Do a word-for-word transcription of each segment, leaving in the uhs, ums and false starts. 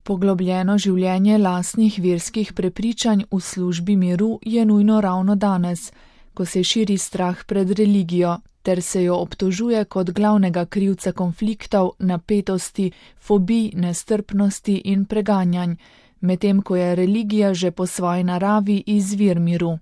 Poglobljeno življenje lastnih verskih prepričanj v službi miru je nujno ravno danes, ko se širi strah pred religijo, ter se jo obtožuje kot glavnega krivca konfliktov, napetosti, fobij, nestrpnosti in preganjanj, medtem ko je religija že po svoji naravi izvir miru.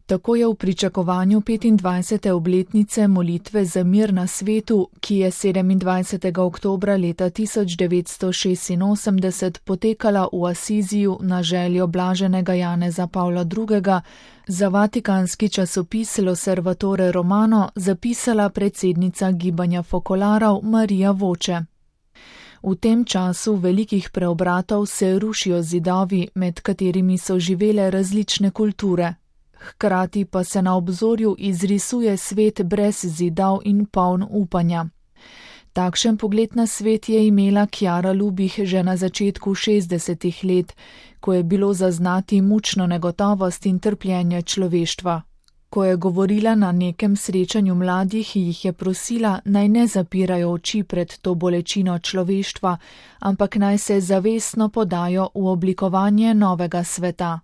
Tako je v pričakovanju petindvajsete obletnice molitve za mir na svetu, ki je sedemindvajsetega oktobra leta tisoč devetsto šestinosemdeset potekala v Asiziju na željo blaženega Janeza Pavla drugega, za vatikanski časopis L'Osservatore Romano zapisala predsednica gibanja fokolarov Marija Voče. V tem času velikih preobratov se rušijo zidovi, med katerimi so živele različne kulture. Hkrati pa se na obzorju izrisuje svet brez zidov in poln upanja. Takšen pogled na svet je imela Chiara Lubich že na začetku šestdesetih let, ko je bilo zaznati mučno negotovost in trpljenje človeštva. Ko je govorila na nekem srečanju mladih, jih je prosila, naj ne zapirajo oči pred to bolečino človeštva, ampak naj se zavestno podajo v oblikovanje novega sveta.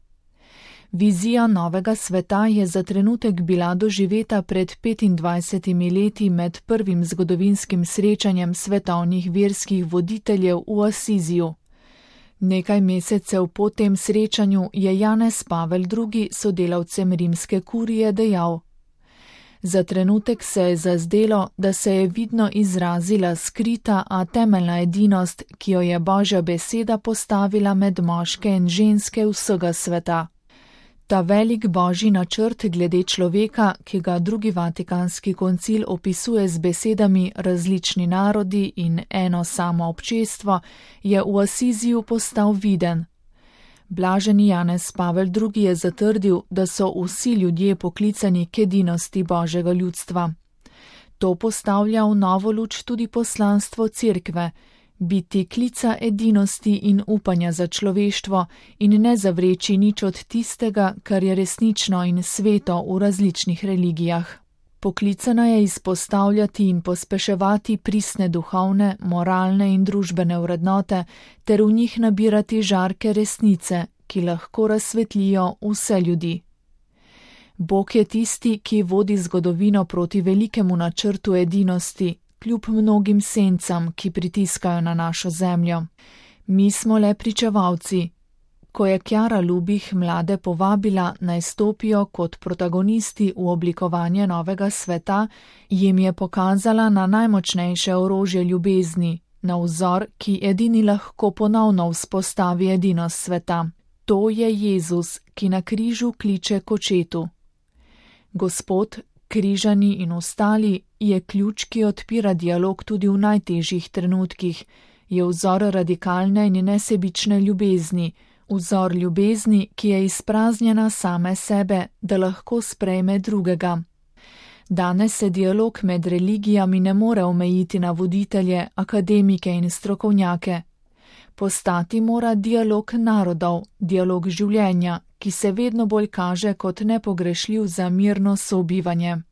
Vizija novega sveta je za trenutek bila doživeta pred petindvajsetimi leti med prvim zgodovinskim srečanjem svetovnih verskih voditeljev v Asiziju. Nekaj mesecev po tem srečanju je Janez Pavel drugi sodelavcem rimske kurije dejal: Za trenutek se je zazdelo, da se je vidno izrazila skrita, a temeljna edinost, ki jo je Božja beseda postavila med moške in ženske vsega sveta. Ta velik božji načrt glede človeka, ki ga drugi vatikanski koncil opisuje z besedami različni narodi in eno samo občestvo, je v Asiziju postal viden. Blaženi Janez Pavel drugi je zatrdil, da so vsi ljudje poklicani k edinosti Božjega ljudstva. To postavlja v novo luč tudi poslanstvo cerkve, biti klica edinosti in upanja za človeštvo in ne zavreči nič od tistega, kar je resnično in sveto v različnih religijah. Poklicana je izpostavljati in pospeševati pristne duhovne, moralne in družbene vrednote ter v njih nabirati žarke resnice, ki lahko razsvetlijo vse ljudi. Bog je tisti, ki vodi zgodovino proti velikemu načrtu edinosti, kljub mnogim sencam, ki pritiskajo na našo zemljo. Mi smo le pričevalci. Ko je Chiara Lubich mlade povabila, naj stopijo kot protagonisti v oblikovanje novega sveta, jim je pokazala na najmočnejše orožje ljubezni, na vzor, ki edini lahko ponovno vzpostavi edinost sveta. To je Jezus, ki na križu kliče k očetu. Gospod, križani in ostali, je ključ, ki odpira dialog tudi v najtežjih trenutkih, je vzor radikalne in nesebične ljubezni, vzor ljubezni, ki je izpraznjena same sebe, da lahko sprejme drugega. Danes se dialog med religijami ne more omejiti na voditelje, akademike in strokovnjake. Postati mora dialog narodov, dialog življenja, ki se vedno bolj kaže kot nepogrešljiv za mirno sobivanje.